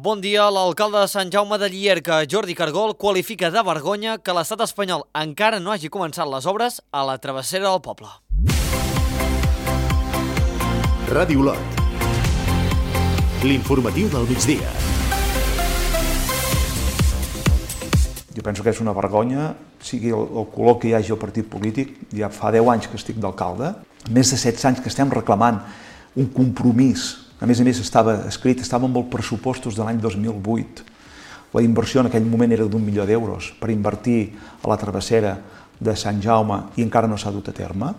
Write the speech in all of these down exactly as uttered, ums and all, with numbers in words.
Bon dia. L'alcalde de Sant Jaume de Llierca, Jordi Cargol, qualifica de vergonya que l'estat espanyol encara no hagi començat les obres a la travessera del poble. Ràdio Lot. L'informatiu del migdia. Jo penso que és una vergonya, sigui el, el color que hi hagi al partit polític. Ja fa deu anys que estic d'alcalde, més de setze anys que estem reclamant un compromís. A més a més, estava escrit, estava amb els pressupostos de l'any dos mil vuit. La inversió en aquell moment era d'un milió d'euros per invertir a la travessera de Sant Jaume i encara no s'ha dut a terme.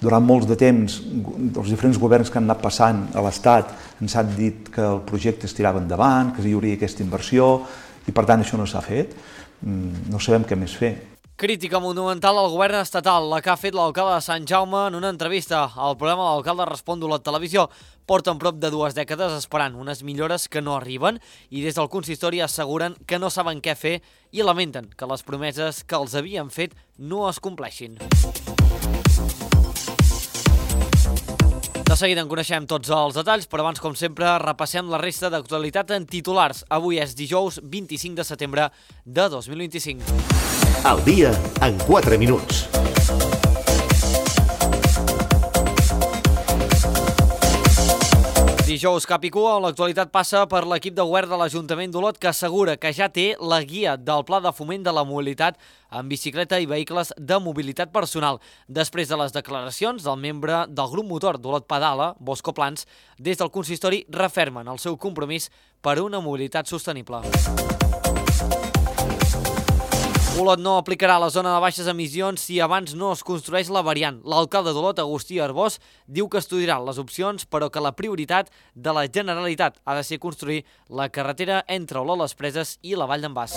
Durant molts de temps, els diferents governs que han anat passant a l'Estat ens han dit que el projecte es tirava endavant, que hi hauria aquesta inversió, i per tant això no s'ha fet. No sabem què més fer. Crítica monumental al govern estatal, la que ha fet l'alcalde de Sant Jaume en una entrevista al programa L'Alcalde Respon d'Olot Televisió. Porten prop de dues dècades esperant unes millores que no arriben i des del consistori asseguren que no saben què fer i lamenten que les promeses que els havien fet no es compleixin. De seguida en coneixem tots els detalls, però abans, com sempre, repassem la resta d'actualitat en titulars. Avui és dijous vint-i-cinc de setembre de dos mil vint-i-cinc. El dia en quatre minuts. Dijous cap i cua, on l'actualitat passa per l'equip de govern de l'Ajuntament d'Olot, que assegura que ja té la guia del Pla de Foment de la Mobilitat en bicicleta i vehicles de mobilitat personal. Després de les declaracions del membre del grup motor d'Olot Pedala, Bosco Plans, des del consistori refermen el seu compromís per una mobilitat sostenible. Olot no aplicarà la zona de baixes emissions si abans no es construeix la variant. L'alcalde d'Olot, Agustí Arbós, diu que estudiarà les opcions, però que la prioritat de la Generalitat ha de ser construir la carretera entre Olot les Preses i la Vall d'en Bas.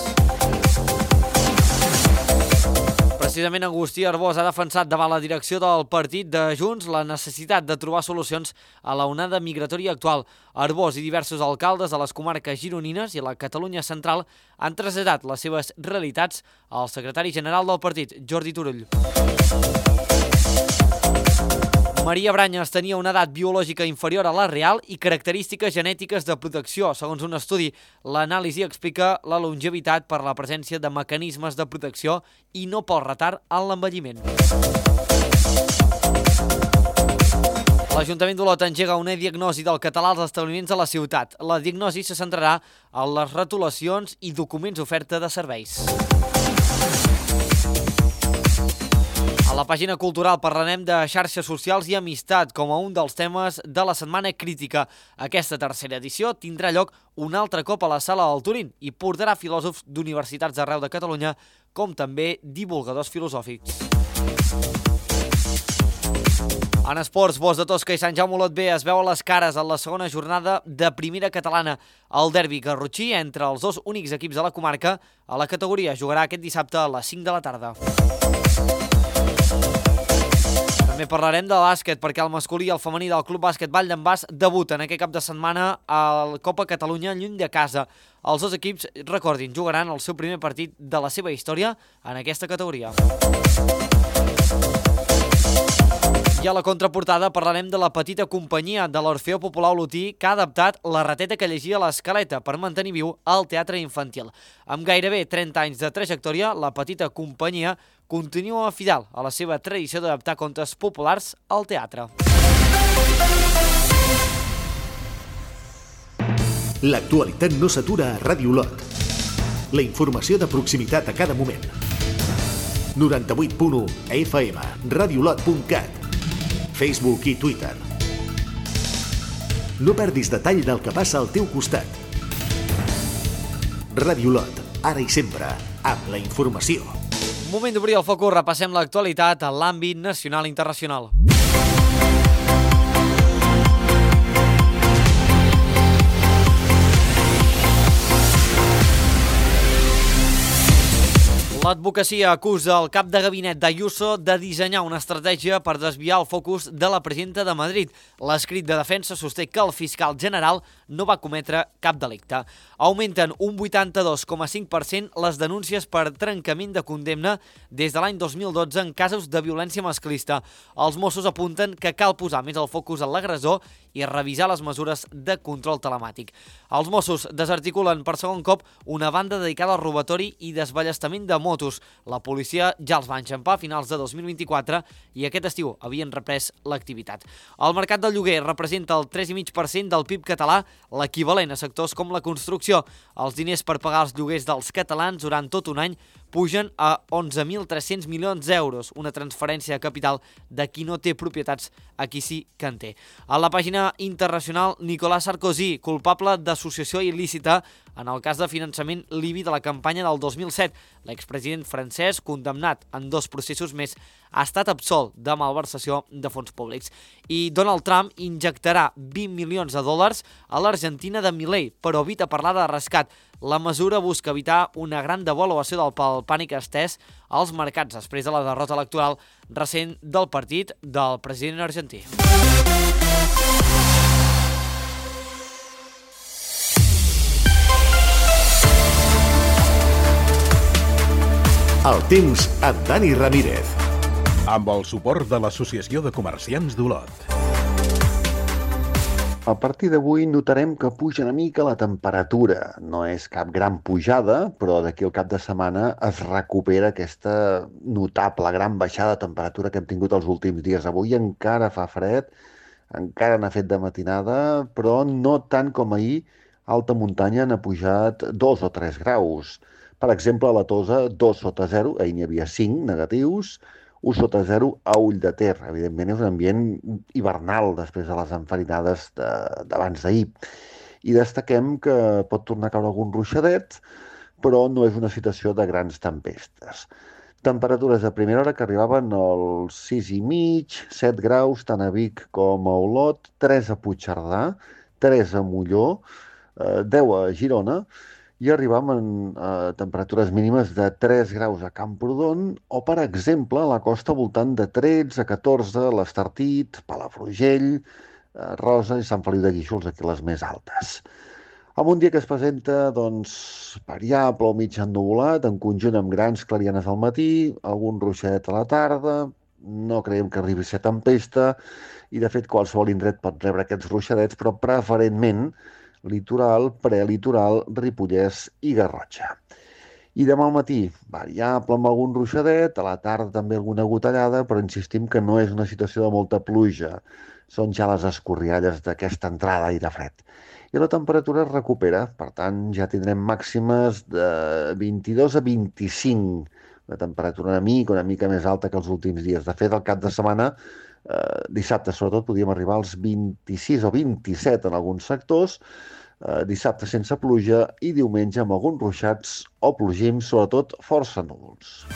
Precisament Agustí Arbós ha defensat davant la direcció del partit de Junts la necessitat de trobar solucions a la onada migratòria actual. Arbós i diversos alcaldes de les comarques gironines i la Catalunya central han traslladat les seves realitats al secretari general del partit, Jordi Turull. Maria Branyes tenia una edat biològica inferior a la real i característiques genètiques de protecció. Segons un estudi, l'anàlisi explica la longevitat per la presència de mecanismes de protecció i no pel retard en l'envelliment. L'Ajuntament d'Olot engega una diagnosi del català als establiments de la ciutat. La diagnosi se centrarà en les retolacions i documents d'oferta de serveis. A la pàgina cultural parlarem de xarxes socials i amistat com a un dels temes de la Setmana Crítica. Aquesta tercera edició tindrà lloc un altre cop a la Sala del Turín i portarà filòsofs d'universitats d'arreu de Catalunya, com també divulgadors filosòfics. En esports, Bos de Tosca i Sant Jaume Olot B es veuen les cares en la segona jornada de primera catalana. El derbi garrotxí entre els dos únics equips de la comarca a la categoria jugarà aquest dissabte a les cinc de la tarda. També parlarem de bàsquet, perquè el masculí i el femení del Club Bàsquet Vall d'en Bas debuten aquest cap de setmana a la Copa Catalunya lluny de casa. Els dos equips, recordin, jugaran el seu primer partit de la seva història en aquesta categoria. I a la contraportada parlarem de la petita companyia de l'Orfeó Popular Olotí que ha adaptat la rateta que llegia l'Escaleta per mantenir viu el teatre infantil. Amb gairebé trenta anys de trajectòria, la petita companyia continua fidel a la seva tradició d'adaptar contes populars al teatre. L'actualitat no s'atura a Ràdio Lot. La informació de proximitat a cada moment. noranta-vuit punt u F M, radiolot punt cat, Facebook i Twitter. No perdis detall del que passa al teu costat. Ràdio Lot, ara i sempre, amb la informació. Moment d'obrir el focus, repassem l'actualitat en l'àmbit nacional i internacional. L'advocacia acusa el cap de gabinet d'Ayuso de dissenyar una estratègia per desviar el focus de la presidenta de Madrid. L'escrit de defensa sosté que el fiscal general no va cometre cap delicte. Augmenten un vuitanta-dos coma cinc per cent les denúncies per trencament de condemna des de l'any dos mil dotze en casos de violència masclista. Els Mossos apunten que cal posar més el focus en l'agressor i revisar les mesures de control telemàtic. Els Mossos desarticulen per segon cop una banda dedicada al robatori i desballestament de motos. La policia ja els va enxampar a finals de dos mil vint-i-quatre i aquest estiu havien reprès l'activitat. El mercat del lloguer representa el tres coma cinc per cent del P I B català, l'equivalent a sectors com la construcció. Els diners per pagar els lloguers dels catalans durant tot un any pugen a onze mil tres-cents milions d'euros, una transferència de capital de qui no té propietats a qui sí que en té. A la pàgina internacional, Nicolas Sarkozy, culpable d'associació il·lícita en el cas de finançament libi de la campanya del dos mil set. L'expresident francès, condemnat en dos processos més, ha estat absolt de malversació de fons públics. I Donald Trump injectarà vint milions de dòlars a l'Argentina de Milei, però evita parlar de rescat. La mesura busca evitar una gran devaluació del pànic estès als mercats després de la derrota electoral recent del partit del president argentí. El temps amb Dani Ramírez. Amb el suport de l'Associació de Comerciants d'Olot. A partir d'avui notarem que puja una mica la temperatura. No és cap gran pujada, però d'aquí al cap de setmana es recupera aquesta notable gran baixada de temperatura que hem tingut els últims dies. Avui encara fa fred, encara n'ha fet de matinada, però no tant com ahir. A alta muntanya n'ha pujat dos o tres graus. Per exemple, a la Tosa, dos sota zero, ahir n'hi havia cinc negatius, un sota zero a Ull de Ter. Evidentment és un ambient hivernal després de les enfarinades d'abans d'ahir. I destaquem que pot tornar a caure algun ruixadet, però no és una situació de grans tempestes. Temperatures de primera hora que arribaven als sis i mig, set graus, tant a Vic com a Olot, tres a Puigcerdà, tres a Molló, deu a Girona, i arribàvem a temperatures mínimes de tres graus a Camprodon o, per exemple, a la costa voltant de tretze a catorze, l'Estartit, Palafrugell, Rosa i Sant Feliu de Guíxols, aquí les més altes. Amb un dia que es presenta doncs, variable o mig ennuvolat, en conjunt amb grans clarianes al matí, algun ruixadet a la tarda, no creiem que arribi a ser tempesta i, de fet, qualsevol indret pot rebre aquests ruixadets, però preferentment litoral, prelitoral, Ripollès i Garrotxa. I demà al matí, variable amb algun ruixadet, a la tarda també alguna gotellada, però insistim que no és una situació de molta pluja. Són ja les escorrialles d'aquesta entrada d'aire fred. I la temperatura es recupera, per tant ja tindrem màximes de vint-i-dos a vint-i-cinc, una temperatura una mica, una mica més alta que els últims dies. De fet, al cap de setmana, eh, dissabte sobretot, podíem arribar als vint-i-sis o vint-i-set en alguns sectors, eh, dissabte sense pluja i diumenge amb alguns ruixats o plogims, sobretot força núvols.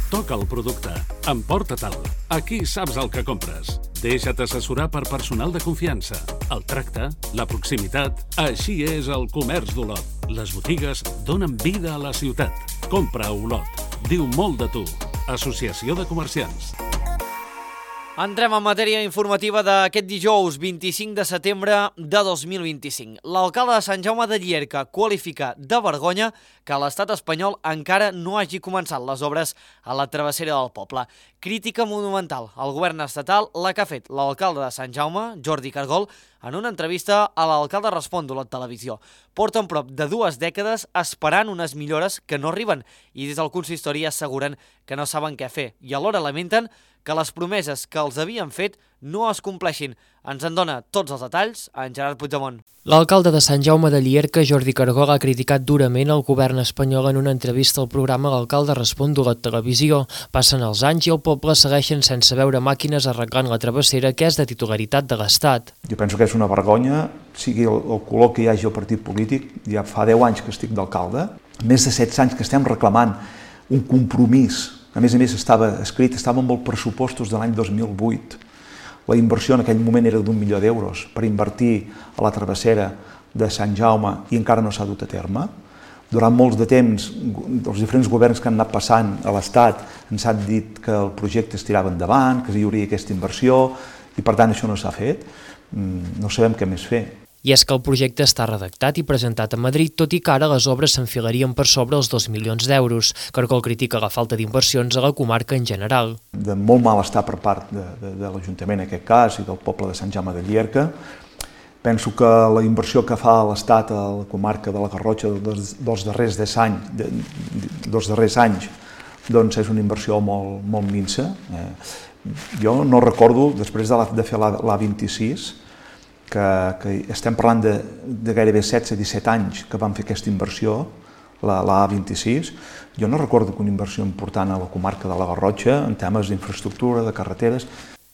Toca el producte. Emporta-te'l. Aquí saps el que compres. Deixa't assessorar per personal de confiança. El tracte, la proximitat... Així és el comerç d'Olot. Les botigues donen vida a la ciutat. Compra a Olot. Diu molt de tu. Associació de Comerciants. Entrem en matèria informativa d'aquest dijous vint-i-cinc de setembre de dos mil vint-i-cinc. L'alcalde de Sant Jaume de Llierca qualifica de vergonya que l'estat espanyol encara no hagi començat les obres a la travessera del poble. Crítica monumental al govern estatal, la que ha fet l'alcalde de Sant Jaume, Jordi Cargol, en una entrevista a l'Alcalde Respon d'Olot Televisió. Porten prop de dues dècades esperant unes millores que no arriben i des del consistori asseguren que no saben què fer i alhora lamenten que les promeses que els havien fet no es compleixin. Ens en dona tots els detalls en Gerard Puigdemont. L'alcalde de Sant Jaume de Llierca, Jordi Cargol, ha criticat durament el govern espanyol en una entrevista al programa L'Alcalde Respon d'Olot Televisió. Passen els anys i el poble segueixen sense veure màquines arreglant la travessera que és de titularitat de l'Estat. Jo penso que és una vergonya, sigui el, el color que hi hagi al partit polític. Ja fa deu anys que estic d'alcalde, més de setze anys que estem reclamant un compromís. A més a més estava escrit, estàvem amb els pressupostos de l'any dos mil vuit. La inversió en aquell moment era d'un milió d'euros per invertir a la travessera de Sant Jaume i encara no s'ha dut a terme. Durant molts de temps, els diferents governs que han anat passant a l'Estat ens han dit que el projecte es tirava endavant, que hi hauria aquesta inversió i per tant això no s'ha fet. No sabem què més fer. I és que el projecte està redactat i presentat a Madrid, tot i que ara les obres s'enfilarien per sobre els dos milions d'euros. Cargol critica la falta d'inversions a la comarca en general. De molt mal estar per part de, de, de l'Ajuntament en aquest cas i del poble de Sant Jaume de Llierca. Penso que la inversió que fa l'Estat a la comarca de la Garrotxa dels, dels, darrers, anys, de, dels darrers anys doncs és una inversió molt, molt minsa. Eh, jo no recordo, després de, la, de fer l'A vint-i-sis, que, que estem parlant de, de gairebé setze a disset anys que vam fer aquesta inversió, la, la A vint-i-sis, jo no recordo que una inversió important a la comarca de la Garrotxa en temes d'infraestructura, de carreteres.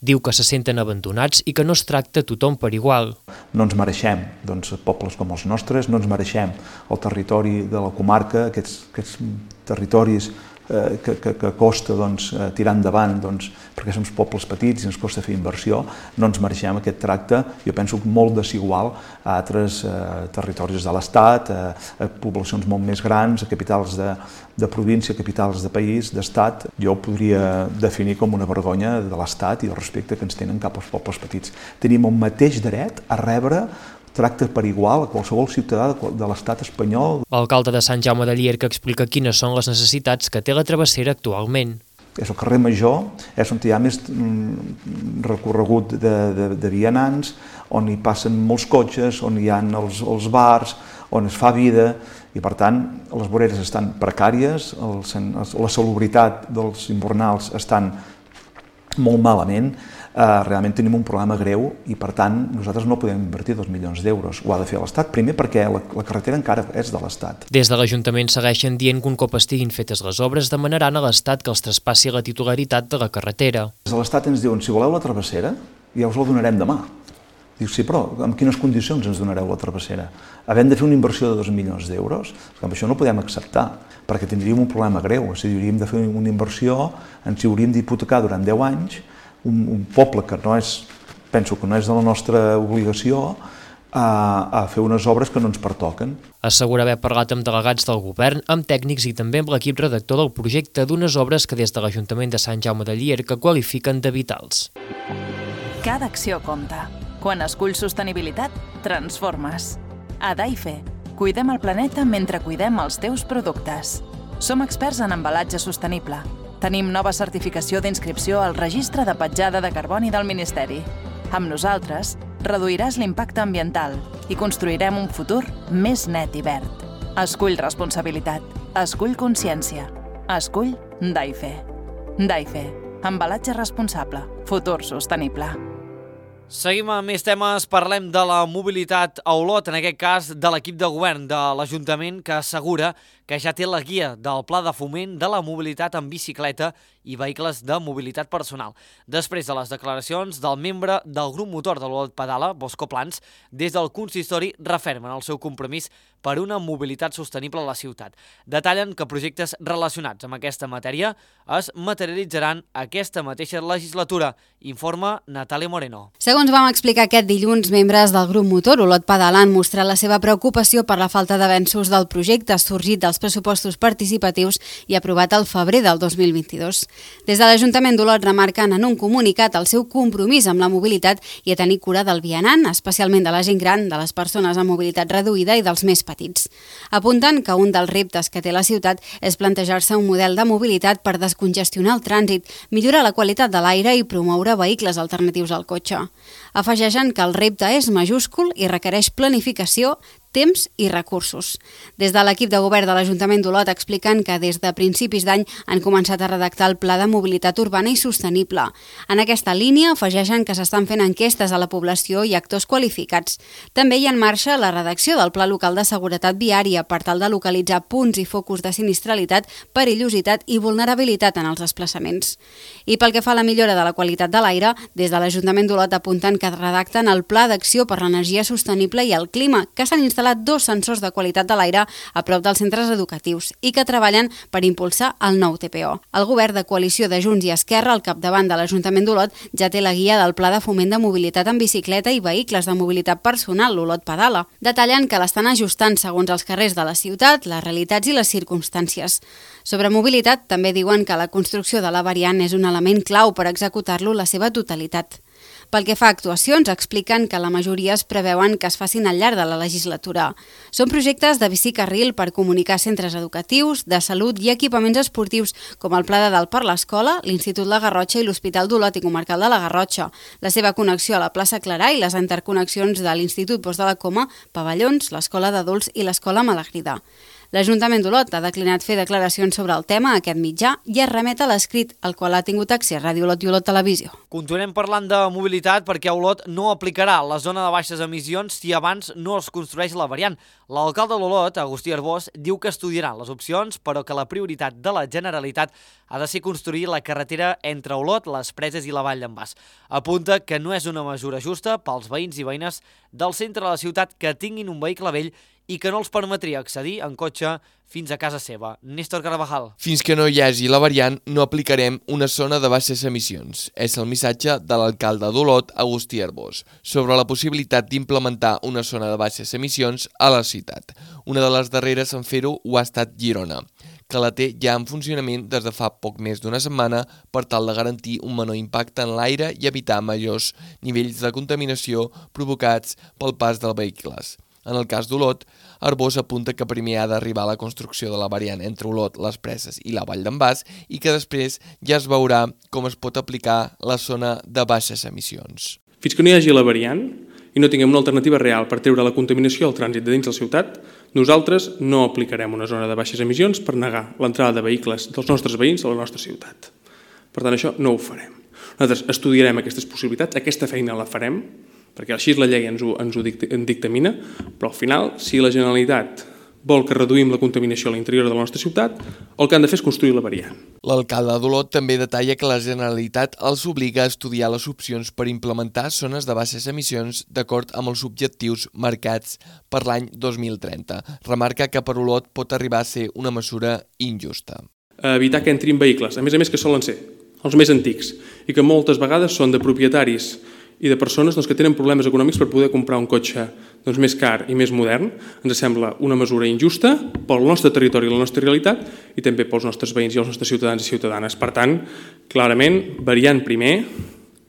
Diu que se senten abandonats i que no es tracta tothom per igual. No ens mereixem, doncs, pobles com els nostres, no ens mereixem el territori de la comarca, aquests, aquests territoris eh, que, que, que costa doncs, tirar endavant, doncs, perquè som pobles petits i ens costa fer inversió, no ens mereixem aquest tracte, jo penso molt desigual a altres eh, territoris de l'Estat, a, a poblacions molt més grans, a capitals de, de província, capitals de país, d'estat. Jo ho podria definir com una vergonya de l'Estat i el respecte que ens tenen cap als pobles petits. Tenim el mateix dret a rebre tracte per igual a qualsevol ciutadà de l'estat espanyol. L'alcalde de Sant Jaume de Llierca explica quines són les necessitats que té la travessera actualment. És el carrer Major, és on hi ha més recorregut de, de, de vianants, on hi passen molts cotxes, on hi ha els, els bars, on es fa vida, i per tant les voreres estan precàries, el, la salubritat dels invernals estan molt malament, eh, realment tenim un problema greu i per tant nosaltres no podem invertir dos milions d'euros, ho ha de fer l'Estat, primer perquè la, la carretera encara és de l'Estat. Des de l'Ajuntament segueixen dient que un cop estiguin fetes les obres demanaran a l'Estat que els traspassi la titularitat de la carretera. Des de l'Estat ens diuen, si voleu la travessera, ja us la donarem demà. Diu, sí, però en quines condicions ens donareu la travessera? Havent de fer una inversió de dos milions d'euros, amb això no podem acceptar, perquè tindríem un problema greu, és a dir, hauríem de fer una inversió, ens hi hauríem d'hipotecar durant deu anys, un, un poble que no és, penso que no és de la nostra obligació, a, a fer unes obres que no ens pertoquen. Assegura haver parlat amb delegats del govern, amb tècnics i també amb l'equip redactor del projecte d'unes obres que des de l'Ajuntament de Sant Jaume de Llierca qualifiquen de vitals. Cada acció compta. Quan esculls sostenibilitat, transformes. A Daife, cuidem el planeta mentre cuidem els teus productes. Som experts en embalatge sostenible. Tenim nova certificació d'inscripció al Registre de Petjada de Carboni del Ministeri. Amb nosaltres, reduiràs l'impacte ambiental i construirem un futur més net i verd. Escull responsabilitat. Escull consciència. Escull Daife. Daife. Embalatge responsable. Futur sostenible. Seguim amb més temes, parlem de la mobilitat a Olot, en aquest cas de l'equip de govern de l'Ajuntament, que assegura que ja té la guia del Pla de Foment de la Mobilitat en bicicleta i vehicles de mobilitat personal. Després de les declaracions del membre del grup motor de l'Olot Pedala, Bosco Plans, des del consistori refermen el seu compromís per una mobilitat sostenible a la ciutat. Detallen que projectes relacionats amb aquesta matèria es materialitzaran aquesta mateixa legislatura, informa Natàlia Moreno. Segons vam explicar aquest dilluns, membres del grup motor Olot Pedala han mostrat la seva preocupació per la falta d'avenços del projecte sorgit dels pressupostos participatius i aprovat al febrer del dos mil vint-i-dos. Des de l'Ajuntament d'Olot remarquen en un comunicat el seu compromís amb la mobilitat i a tenir cura del vianant, especialment de la gent gran, de les persones amb mobilitat reduïda i dels més petits. Apunten que un dels reptes que té la ciutat és plantejar-se un model de mobilitat per descongestionar el trànsit, millorar la qualitat de l'aire i promoure vehicles alternatius al cotxe. Afegeixen que el repte és majúscul i requereix planificació, temps i recursos. Des de l'equip de govern de l'Ajuntament d'Olot expliquen que des de principis d'any han començat a redactar el Pla de Mobilitat Urbana i Sostenible. En aquesta línia afegeixen que s'estan fent enquestes a la població i actors qualificats. També hi ha en marxa la redacció del Pla Local de Seguretat Viària per tal de localitzar punts i focus de sinistralitat, perillositat i vulnerabilitat en els desplaçaments. I pel que fa a la millora de la qualitat de l'aire, des de l'Ajuntament d'Olot apunten que redacten el Pla d'Acció per l'Energia Sostenible i el Clima, que s'han instal·lat dos sensors de qualitat de l'aire a prop dels centres educatius i que treballen per impulsar el nou T P O. El govern de coalició de Junts i Esquerra, al capdavant de l'Ajuntament d'Olot, ja té la guia del Pla de Foment de Mobilitat en bicicleta i vehicles de mobilitat personal, l'Olot Pedala. Detallen que l'estan ajustant segons els carrers de la ciutat, les realitats i les circumstàncies. Sobre mobilitat, també diuen que la construcció de la variant és un element clau per executar-lo la seva totalitat. Pel que fa a actuacions, expliquen que la majoria es preveuen que es facin al llarg de la legislatura. Són projectes de bicicarril per comunicar centres educatius, de salut i equipaments esportius, com el Pla de Dalt per l'Escola, l'Institut La Garrotxa i l'Hospital d'Olot i Comarcal de la Garrotxa, la seva connexió a la plaça Clarà i les interconnexions de l'Institut Bosch de la Coma, Pavellons, l'Escola d'Adults i l'Escola Malagrida. L'Ajuntament d'Olot ha declinat fer declaracions sobre el tema a aquest mitjà i es remet a l'escrit, al qual ha tingut accés Ràdio Olot i Olot Televisió. Continuem parlant de mobilitat perquè Olot no aplicarà la zona de baixes emissions si abans no es construeix la variant. L'alcalde d'Olot, Agustí Arbós, diu que estudiarà les opcions, però que la prioritat de la Generalitat ha de ser construir la carretera entre Olot, les Preses i la Vall d'en Bas. Apunta que no és una mesura justa pels veïns i veïnes del centre de la ciutat que tinguin un vehicle vell i que no els permetria accedir en cotxe fins a casa seva. Néstor Carvajal. Fins que no hi hagi la variant, no aplicarem una zona de baixes emissions. És el missatge de l'alcalde d'Olot, Agustí Arbós, sobre la possibilitat d'implementar una zona de baixes emissions a la ciutat. Una de les darreres en fer-ho ho ha estat Girona, que la té ja en funcionament des de fa poc més d'una setmana per tal de garantir un menor impacte en l'aire i evitar majors nivells de contaminació provocats pel pas dels vehicles. En el cas d'Olot, Arbós apunta que primer ha d'arribar la construcció de la variant entre Olot, les Preses i la Vall d'en Bas i que després ja es veurà com es pot aplicar la zona de baixes emissions. Fins que no hi hagi la variant i no tinguem una alternativa real per treure la contaminació al trànsit de dins de la ciutat, nosaltres no aplicarem una zona de baixes emissions per negar l'entrada de vehicles dels nostres veïns a la nostra ciutat. Per tant, això no ho farem. Nosaltres estudiarem aquestes possibilitats, aquesta feina la farem, perquè així la llei ens ho, ens ho dictamina, però al final, si la Generalitat vol que reduïm la contaminació a l'interior de la nostra ciutat, el que han de fer és construir la variant. L'alcalde d'Olot també detalla que la Generalitat els obliga a estudiar les opcions per implementar zones de baixes emissions d'acord amb els objectius marcats per l'any dos mil trenta. Remarca que per Olot pot arribar a ser una mesura injusta. Evitar que entrin vehicles, a més a més que solen ser els més antics, i que moltes vegades són de propietaris i de persones doncs, que tenen problemes econòmics per poder comprar un cotxe doncs, més car i més modern. Ens sembla una mesura injusta pel nostre territori i la nostra realitat i també pels nostres veïns i els nostres ciutadans i ciutadanes. Per tant, clarament, variant primer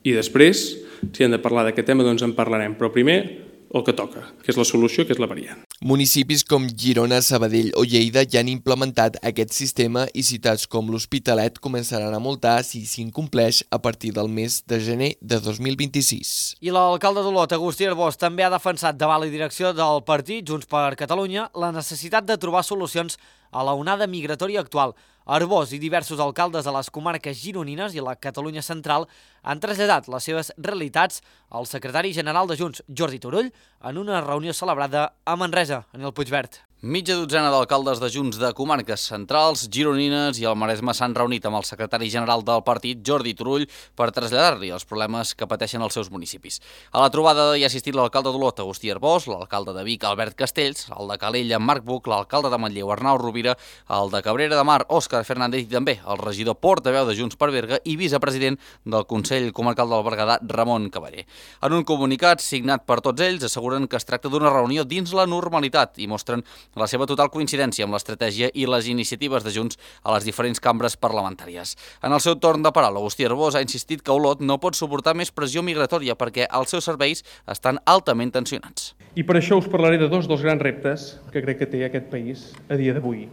i després, si hem de parlar d'aquest tema, doncs en parlarem, però primer el que toca, que és la solució, que és la variant. Municipis com Girona, Sabadell o Lleida ja han implementat aquest sistema i ciutats com l'Hospitalet començaran a multar si s'incompleix a partir del mes de gener de dos mil vint-i-sis. I l'alcalde d'Olot, Agustí Arbós, també ha defensat davant la direcció del partit Junts per Catalunya la necessitat de trobar solucions a la onada migratòria actual. Arbós i diversos alcaldes de les comarques gironines i la Catalunya central han traslladat les seves realitats al secretari general de Junts, Jordi Turull, en una reunió celebrada a Manresa, en el Puigverd. Mitja dotzena d'alcaldes de Junts de comarques centrals, gironines i el Maresme s'han reunit amb el secretari general del partit, Jordi Turull, per traslladar-li els problemes que pateixen els seus municipis. A la trobada hi ha assistit l'alcalde d'Olot, Agustí Arbós, l'alcalde de Vic, Albert Castells, el de Calella, Marc Buch, l'alcalde de Manlleu, Arnau Rovira, el de Cabrera de Mar, Òscar Fernández i també el regidor portaveu de Junts per Berga i vicepresident del Consell Comarcal del Berguedà, Ramon Cavaller. En un comunicat signat per tots ells asseguren que es tracta d'una reunió dins la normalitat i mostren la seva total coincidència amb l'estratègia i les iniciatives de Junts a les diferents cambres parlamentàries. En el seu torn de paraula, Agustí Arbós ha insistit que Olot no pot suportar més pressió migratòria perquè els seus serveis estan altament tensionats. I per això us parlaré de dos dels grans reptes que crec que té aquest país a dia d'avui.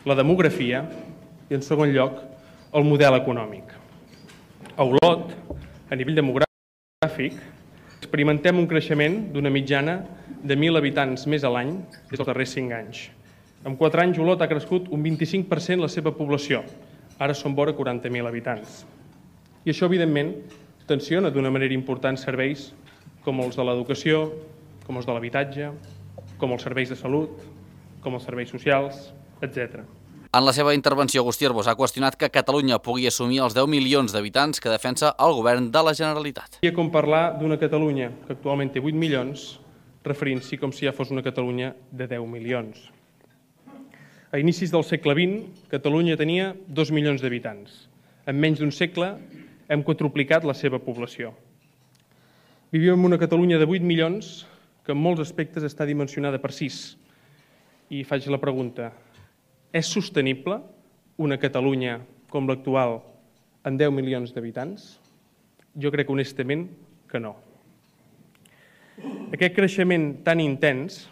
La demografia i, en segon lloc, el model econòmic. A Olot, a nivell demogràfic, experimentem un creixement d'una mitjana de mil habitants més a l'any des dels darrers cinc anys. En quatre anys, Olot ha crescut un vint-i-cinc per cent la seva població. Ara són vora quaranta mil habitants. I això, evidentment, tensiona d'una manera important serveis com els de l'educació, com els de l'habitatge, com els serveis de salut, com els serveis socials, etcètera. En la seva intervenció, Agustí Arbós ha qüestionat que Catalunya pugui assumir els deu milions d'habitants que defensa el govern de la Generalitat. Seria com parlar d'una Catalunya que actualment té vuit milions, referint-s'hi com si ja fos una Catalunya de deu milions. A inicis del segle vint, Catalunya tenia dos milions d'habitants. En menys d'un segle hem quadruplicat la seva població. Vivim en una Catalunya de vuit milions que en molts aspectes està dimensionada per sis. I faig la pregunta: és sostenible una Catalunya com l'actual amb deu milions d'habitants? Jo crec honestament que no. Aquest creixement tan intens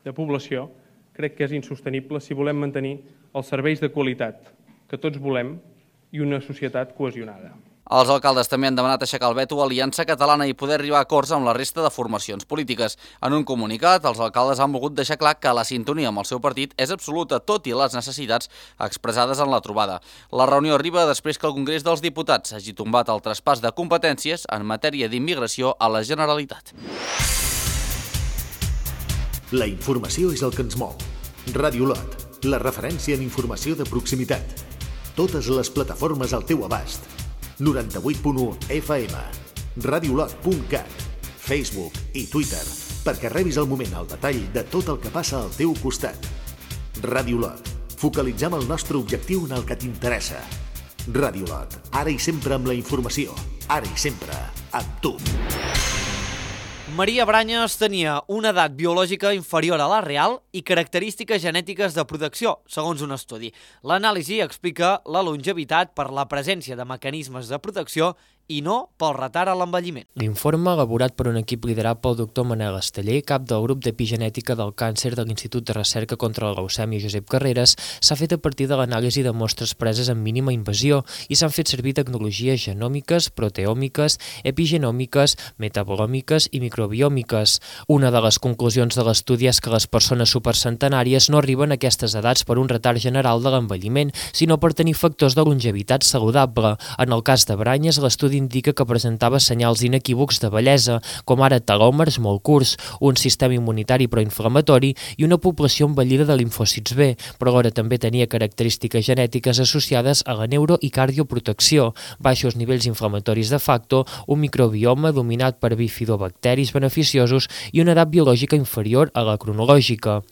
de població crec que és insostenible si volem mantenir els serveis de qualitat que tots volem i una societat cohesionada. Els alcaldes també han demanat aixecar el veto a Aliança Catalana i poder arribar a acords amb la resta de formacions polítiques. En un comunicat, els alcaldes han volgut deixar clar que la sintonia amb el seu partit és absoluta, tot i les necessitats expressades en la trobada. La reunió arriba després que el Congrés dels Diputats hagi tombat el traspàs de competències en matèria d'immigració a la Generalitat. La informació és el que ens mou. Ràdio Lot, la referència en informació de proximitat. Totes les plataformes al teu abast. noranta-vuit punt u F M, radiolot punt cat, Facebook i Twitter, perquè rebis al moment el detall de tot el que passa al teu costat. Ràdio Lot, focalitzem el nostre objectiu en el que t'interessa. Ràdio Lot, ara i sempre amb la informació, ara i sempre amb tu. Maria Branyes tenia una edat biològica inferior a la real i característiques genètiques de protecció, segons un estudi. L'anàlisi explica la longevitat per la presència de mecanismes de protecció i no pel retard a l'envelliment. L'informe, elaborat per un equip liderat pel doctor Manel Esteller, cap del grup d'epigenètica del càncer de l'Institut de Recerca contra la Leucèmia Josep Carreras, s'ha fet a partir de l'anàlisi de mostres preses amb mínima invasió i s'han fet servir tecnologies genòmiques, proteòmiques, epigenòmiques, metabolòmiques i microbiòmiques. Una de les conclusions de l'estudi és que les persones supercentenàries no arriben a aquestes edats per un retard general de l'envelliment, sinó per tenir factors de longevitat saludable. En el cas de Branyes, l'estudi indica que presentava senyals inequívocs de bellesa, com ara telòmers molt curts, un sistema immunitari proinflamatori i una població envellida de limfòcits B, però alhora també tenia característiques genètiques associades a la neuro- i cardioprotecció, baixos nivells inflamatoris de facto, un microbioma dominat per bifidobacteris beneficiosos i una edat biològica inferior a la cronològica.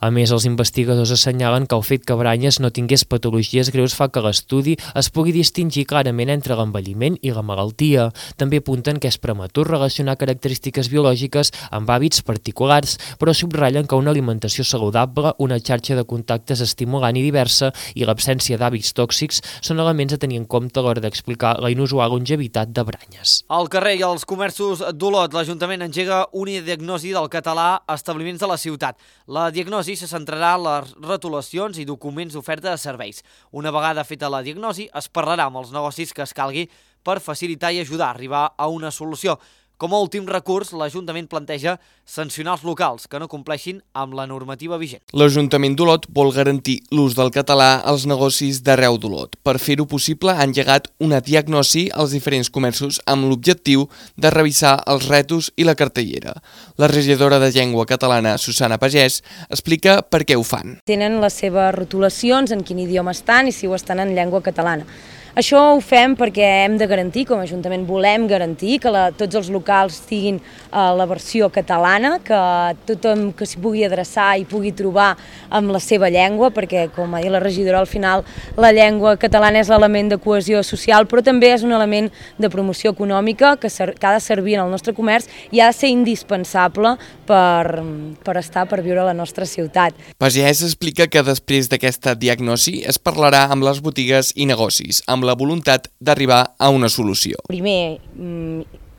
A més, els investigadors assenyalen que el fet que Branyes no tingués patologies greus fa que l'estudi es pugui distingir clarament entre l'envelliment i la malaltia. També apunten que és prematur relacionar característiques biològiques amb hàbits particulars, però subratllen que una alimentació saludable, una xarxa de contactes estimulant i diversa i l'absència d'hàbits tòxics són elements a tenir en compte a l'hora d'explicar la inusual longevitat de Branyes. Al carrer i als comerços d'Olot, l'Ajuntament engega una diagnosi del català a establiments de la ciutat. La diagnosi se centrarà en les retolacions i documents d'oferta de serveis. Una vegada feta la diagnosi, es parlarà amb els negocis que es calgui per facilitar i ajudar a arribar a una solució. Com a últim recurs, l'Ajuntament planteja sancionar els locals que no compleixin amb la normativa vigent. L'Ajuntament d'Olot vol garantir l'ús del català als negocis d'arreu d'Olot. Per fer-ho possible, ha engegat una diagnosi als diferents comerços amb l'objectiu de revisar els retos i la cartellera. La regidora de Llengua Catalana, Susana Pagès, explica per què ho fan. Tenen les seves rotulacions, en quin idioma estan i si ho estan en llengua catalana. Això ho fem perquè hem de garantir, com a Ajuntament volem garantir que la, tots els locals tinguin uh, la versió catalana, que tothom que s'hi pugui adreçar i pugui trobar amb la seva llengua, perquè, com ha dit la regidora, al final la llengua catalana és l'element de cohesió social, però també és un element de promoció econòmica que, ser, que ha de servir en el nostre comerç i ha de ser indispensable per, per estar, per viure a la nostra ciutat. Pagès explica que després d'aquesta diagnosi es parlarà amb les botigues i negocis, amb la voluntat d'arribar a una solució. Primer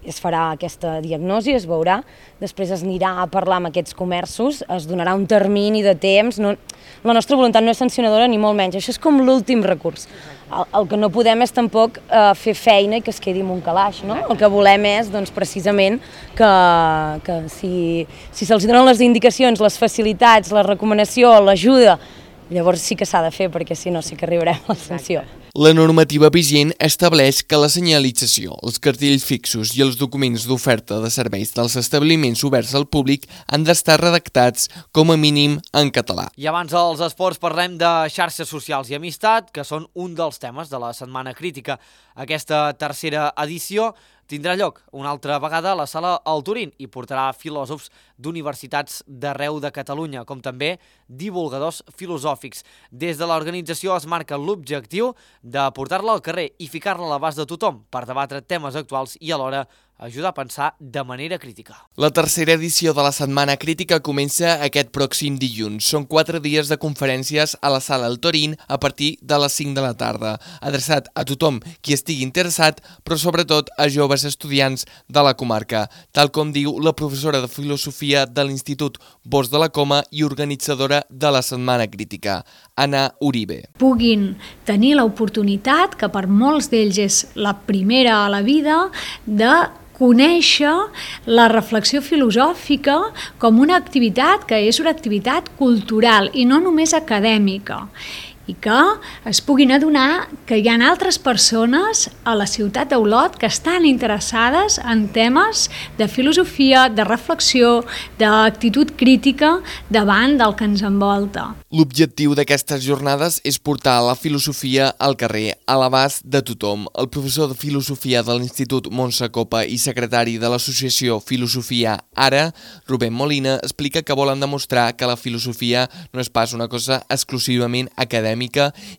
es farà aquesta diagnosi, es veurà, després es anirà a parlar amb aquests comerços, es donarà un termini de temps, no, la nostra voluntat no és sancionadora ni molt menys, això és com l'últim recurs. El, el que no podem és tampoc eh, fer feina i que es quedi en un calaix, no? El que volem és, doncs, precisament que, que si, si se'ls donen les indicacions, les facilitats, la recomanació, l'ajuda, llavors sí que s'ha de fer, perquè si no sí que arribarem a la sanció. La normativa vigent estableix que la senyalització, els cartells fixos i els documents d'oferta de serveis dels establiments oberts al públic han d'estar redactats com a mínim en català. I abans dels esports parlem de xarxes socials i amistat, que són un dels temes de la Setmana Crítica. Aquesta tercera edició tindrà lloc una altra vegada a la sala El Turín i portarà filòsofs d'universitats d'arreu de Catalunya, com també divulgadors filosòfics. Des de l'organització es marca l'objectiu de portar-la al carrer i ficar-la a l'abast de tothom per debatre temes actuals i alhora ajuda a pensar de manera crítica. La tercera edició de la Setmana Crítica comença aquest pròxim dilluns. Són quatre dies de conferències a la Sala El Torín a partir de les cinc de la tarda, adreçat a tothom qui estigui interessat, però sobretot a joves estudiants de la comarca, tal com diu la professora de Filosofia de l'Institut Bosch de la Coma i organitzadora de la Setmana Crítica, Anna Uribe. Puguin tenir l'oportunitat, que per molts d'ells és la primera a la vida, de conèixer la reflexió filosòfica com una activitat que és una activitat cultural i no només acadèmica, i que es puguin adonar que hi ha altres persones a la ciutat d'Olot que estan interessades en temes de filosofia, de reflexió, d'actitud crítica davant del que ens envolta. L'objectiu d'aquestes jornades és portar la filosofia al carrer, a l'abast de tothom. El professor de Filosofia de l'Institut Montse Copa i secretari de l'associació Filosofia Ara, Rubén Molina, explica que volen demostrar que la filosofia no és pas una cosa exclusivament acadèmica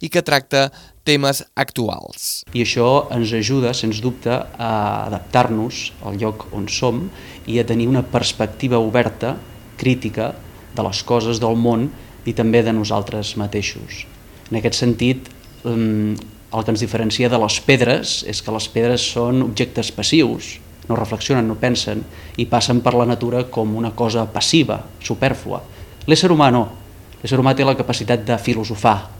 i que tracta temes actuals. I això ens ajuda, sens dubte, a adaptar-nos al lloc on som i a tenir una perspectiva oberta, crítica, de les coses del món i també de nosaltres mateixos. En aquest sentit, el que ens diferencia de les pedres és que les pedres són objectes passius, no reflexionen, no pensen i passen per la natura com una cosa passiva, supèrflua. L'ésser humà no. L'ésser humà té la capacitat de filosofar,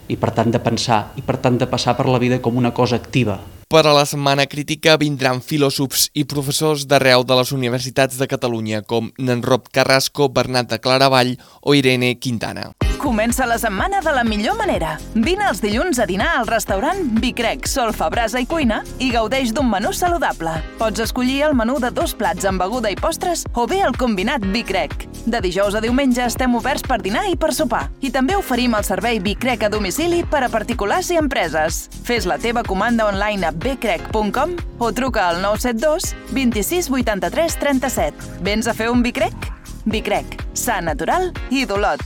i per tant de pensar, i per tant de passar per la vida com una cosa activa. Per a la Setmana Crítica vindran filòsofs i professors d'arreu de les universitats de Catalunya, com Nanrop Carrasco, Bernat de Claravall o Irene Quintana. Comença la setmana de la millor manera. Vine els dilluns a dinar al restaurant Bicrec, Solfa, Brasa i Cuina i gaudeix d'un menú saludable. Pots escollir el menú de dos plats amb beguda i postres o bé el combinat Bicrec. De dijous a diumenge estem oberts per dinar i per sopar. I també oferim el servei Bicrec a domicili per a particulars i empreses. Fes la teva comanda online a becrec punt com o truca al nou set dos, vint-i-sis, vuitanta-tres, trenta-set. Vens a fer un Bicrec? Bicrec, sa, natural i d'Olot.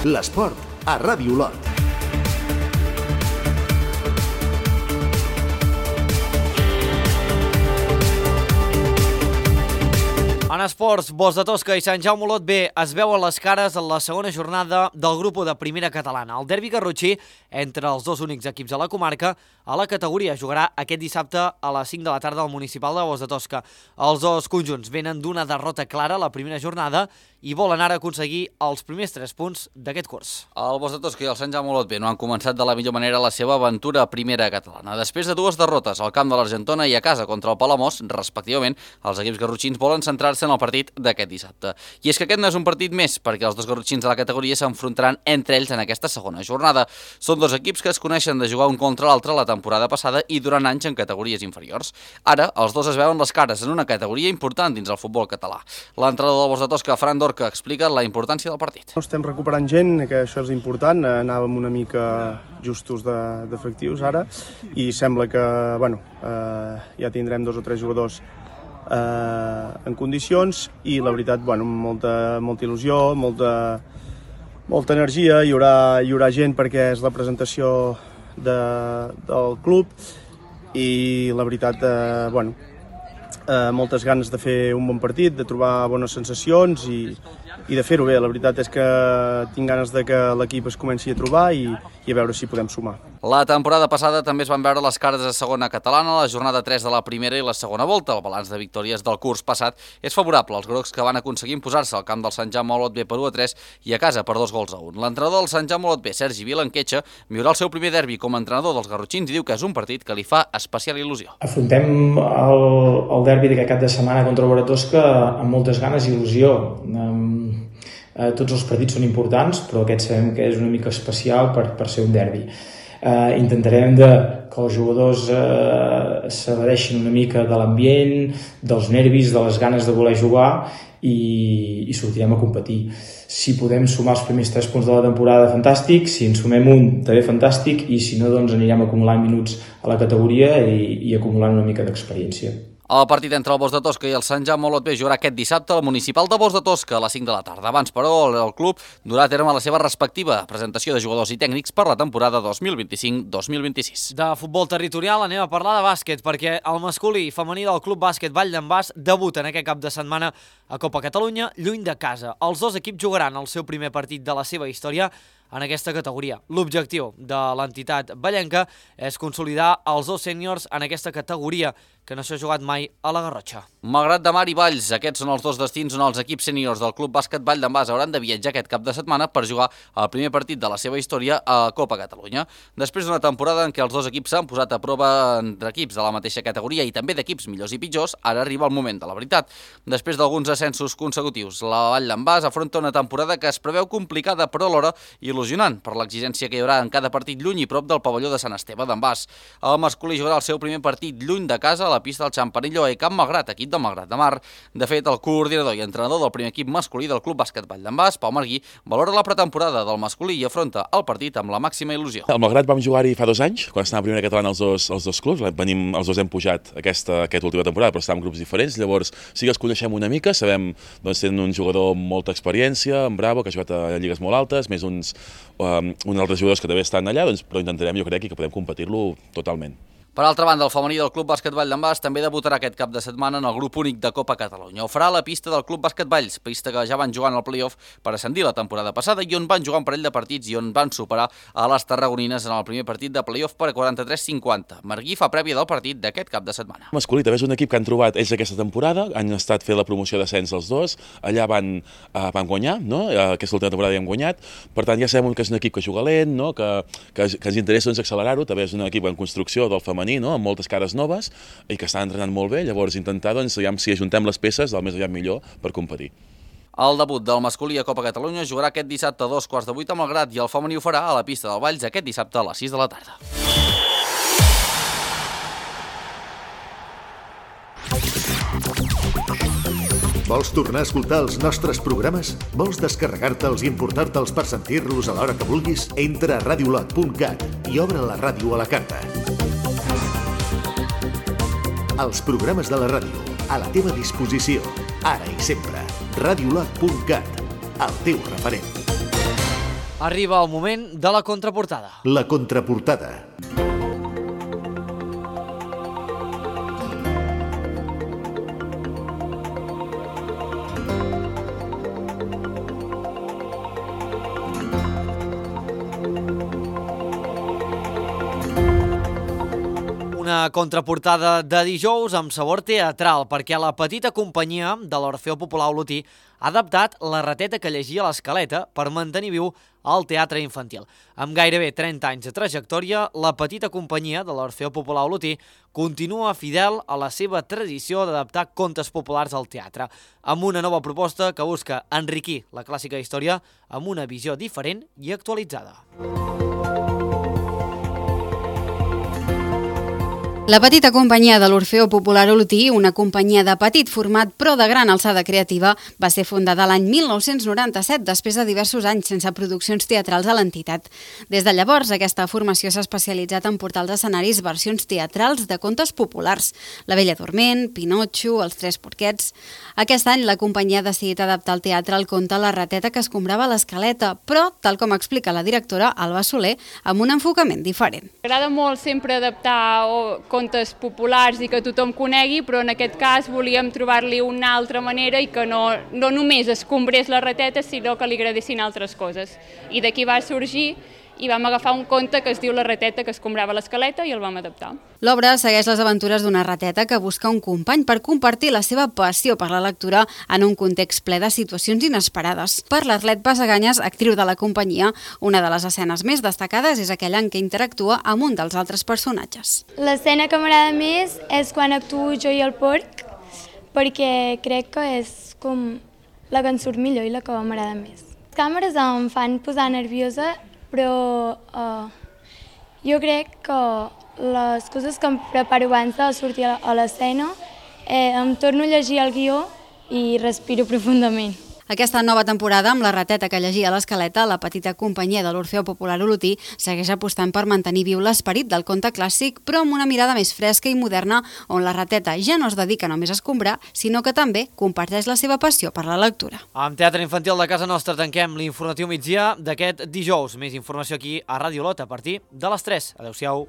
L'esport a Ràdio Olot. En esports, Bosch de Tosca i Sant Jaume Olot B es veuen les cares en la segona jornada del grup de primera catalana. El derbi garrotxí entre els dos únics equips de la comarca a la categoria jugarà aquest dissabte a les cinc de la tarda al municipal de Bosch de Tosca. Els dos conjunts venen d'una derrota clara a la primera jornada i volen ara aconseguir els primers tres punts d'aquest curs. El Bosch de Tosca i el Sant Jaume Olot B no han començat de la millor manera la seva aventura a primera catalana. Després de dues derrotes al camp de l'Argentona i a casa contra el Palamós, respectivament, els equips garrotxins volen centrar-se en el partit d'aquest dissabte. I és que aquest no és un partit més, perquè els dos garrotxins de la categoria s'enfrontaran entre ells en aquesta segona jornada. Són dos equips que es coneixen de jugar un contra l'altre la temporada passada i durant anys en categories inferiors. Ara, els dos es veuen les cares en una categoria important dins el futbol català. L'entrenador del Bosch de Tosca, Fran Dorca, explica la importància del partit. Estem recuperant gent, que això és important, anàvem una mica justos d'efectius ara i sembla que bueno, eh, ja tindrem dos o tres jugadors eh, en condicions i la veritat, bueno, molta, molta il·lusió, molta, molta energia, hi haurà, hi haurà gent perquè és la presentació de, del club i la veritat, eh, bueno, eh, moltes ganes de fer un bon partit, de trobar bones sensacions i, i de fer-ho bé. La veritat és que tinc ganes de que l'equip es comenci a trobar i, i a veure si podem sumar. La temporada passada també es van veure les cares de segona catalana, la jornada tres de la primera i la segona volta. El balanç de victòries del curs passat és favorable als grocs que van aconseguir imposar-se al camp del Sant Jaume Olot B per u a tres i a casa per dos gols a un. L'entrenador del Sant Jaume Olot B, Sergi Vilanquetxa, viurà el seu primer derbi com a entrenador dels garrotxins i diu que és un partit que li fa especial il·lusió. Afrontem el, el derbi d'aquest cap de setmana contra el Bosch de Tosca amb moltes ganes i il·lusió. Um, eh, tots els partits són importants, però aquest sabem que és una mica especial per, per ser un derbi. Uh, intentarem de, que els jugadors uh, s'evadeixin una mica de l'ambient, dels nervis, de les ganes de voler jugar i, i sortirem a competir. Si podem sumar els primers tres punts de la temporada, fantàstic. Si en sumem un, també fantàstic. I si no, doncs anirem acumulant minuts a la categoria i, i acumulant una mica d'experiència. El partit entre el Bosch de Tosca i el Sant Jaume Olot B jugarà aquest dissabte al Municipal de Bosch de Tosca a les cinc de la tarda. Abans, però, el club durà a terme la seva respectiva presentació de jugadors i tècnics per la temporada dos mil vint-i-cinc dos mil vint-i-sis. De futbol territorial anem a parlar de bàsquet, perquè el masculí i femení del Club Bàsquet Vall d'en Bas debuten aquest cap de setmana a Copa Catalunya, lluny de casa. Els dos equips jugaran el seu primer partit de la seva història en aquesta categoria. L'objectiu de l'entitat vallenca és consolidar els dos sèniors en aquesta categoria, que no s'ha jugat mai a la Garrotxa. Malgrat de Mar i Valls, aquests són els dos destins on els equips sèniors del Club Bàsquet Vall d'en Bas hauran de viatjar aquest cap de setmana per jugar el primer partit de la seva història a Copa Catalunya. Després d'una temporada en què els dos equips s'han posat a prova entre equips de la mateixa categoria i també d'equips millors i pitjors, ara arriba el moment de la veritat. Després d'alguns ascensos consecutius, la Vall d'en Bas afronta una temporada que es preveu complicada però alhora il·lusionant per l'exigència que hi haurà en cada partit lluny i prop del pavelló de Sant Esteve d'en Bas. El masculí jugarà el seu primer partit lluny de casa a la pista del Xampanillo a Camp Malgrat, equip del Malgrat de Mar. De fet, el coordinador i entrenador del primer equip masculí del Club Bàsquet Vall d'en Bas, Pau Marguí, valora la pretemporada del masculí i afronta el partit amb la màxima il·lusió. Al Malgrat vam jugar-hi fa dos anys, quan estàvem a primera catalana els dos, els dos clubs. Venim, els dos hem pujat aquesta, aquesta última temporada, però estàvem en grups diferents. Llavors sí que els coneixem una mica, sabem doncs, tenen un jugador amb molta experiència, en Bravo, que ha jugat a lligues molt altes, més uns, um, uns altres jugadors que també estan allà, doncs, però intentarem, jo crec, que podem competir-lo totalment. Per altra banda, el femení del Club Bàsquet Vall d'en Bas també debutarà aquest cap de setmana en el grup únic de Copa Catalunya. Ho farà a la pista del Club Bàsquet Valls, pista que ja van jugar en el play-off per ascendir la temporada passada i on van jugar un parell de partits i on van superar a les tarragonines en el primer partit de play-off per quaranta-tres cinquanta. Marguí fa prèvia del partit d'aquest cap de setmana. Masculí també és un equip que han trobat ells aquesta temporada, han estat fent la promoció d'ascens els dos, allà van, uh, van guanyar, no? Aquesta última temporada ja han guanyat, per tant ja sabem que és un equip que juga lent, no? que, que, que ens interessa doncs, accelerar-ho, també és un equip en construcció del femení, no? Amb moltes cares noves i que estan entrenant molt bé, llavors intentar doncs, si ajuntem les peces del més aviat millor per competir. El debut del masculí a Copa Catalunya jugarà aquest dissabte a dos quarts de vuit a Malgrat i el femení ho farà a la pista del Valls aquest dissabte a les sis de la tarda. Vols tornar a escoltar els nostres programes? Vols descarregar-te'ls i importar-te'ls per sentir-los a l'hora que vulguis? Entra a radiolot punt cat i obre la ràdio a la carta. Els programes de la ràdio, a la teva disposició, ara i sempre. radiolot punt cat, el teu referent. Arriba el moment de la contraportada. La contraportada. Una contraportada de dijous amb sabor teatral, perquè la petita companyia de l'Orfeó Popular Olotí ha adaptat la rateta que llegia a l'Escaleta per mantenir viu el teatre infantil. Amb gairebé trenta anys de trajectòria, la petita companyia de l'Orfeó Popular Olotí continua fidel a la seva tradició d'adaptar contes populars al teatre, amb una nova proposta que busca enriquir la clàssica història amb una visió diferent i actualitzada. La petita companyia de l'Orfeó Popular Olotí, una companyia de petit format però de gran alçada creativa, va ser fundada l'any mil nou-cents noranta-set després de diversos anys sense produccions teatrals a l'entitat. Des de llavors, aquesta formació s'ha especialitzat en portar als escenaris versions teatrals de contes populars. La Bella Dorment, Pinotxo, Els Tres Porquets... Aquest any la companyia ha decidit adaptar al teatre el conte La rateta que escombrava l'Escaleta, però, tal com explica la directora Alba Soler, amb un enfocament diferent. M'agrada molt sempre adaptar contes populars i que tothom conegui, però en aquest cas volíem trobar-li una altra manera i que no, no només escombrés la rateta, sinó que li agradessin altres coses. I d'aquí va sorgir i vam agafar un conte que es diu La rateta que escombrava l'Escaleta i el vam adaptar. L'obra segueix les aventures d'una rateta que busca un company per compartir la seva passió per la lectura en un context ple de situacions inesperades. Per l'Arlet Basaganyes, actriu de la companyia, una de les escenes més destacades és aquella en què interactua amb un dels altres personatges. L'escena que m'agrada més és quan actuo jo i el porc, perquè crec que és com la que em surt millor i la que m'agrada més. Les càmeres em fan posar nerviosa, però uh, jo crec que les coses que em preparo abans de sortir a l'escena eh, em torno a llegir el guió i respiro profundament. Aquesta nova temporada, amb la rateta que llegia a l'Escaleta, la petita companyia de l'Orfeó Popular Olotí segueix apostant per mantenir viu l'esperit del conte clàssic, però amb una mirada més fresca i moderna, on la rateta ja no es dedica només a escombrar, sinó que també comparteix la seva passió per la lectura. Amb Teatre Infantil de casa nostra tanquem l'informatiu migdia d'aquest dijous. Més informació aquí a Ràdio Olot a partir de les tres. Adéu-siau.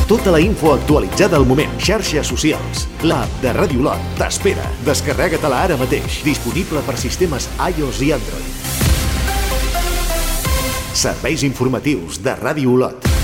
Tota la info actualitzada al moment. Xarxes socials. L'app de Ràdio Olot t'espera. Descarrega-te-la ara mateix. Disponible per sistemes iOS i Android. Serveis informatius de Ràdio Olot.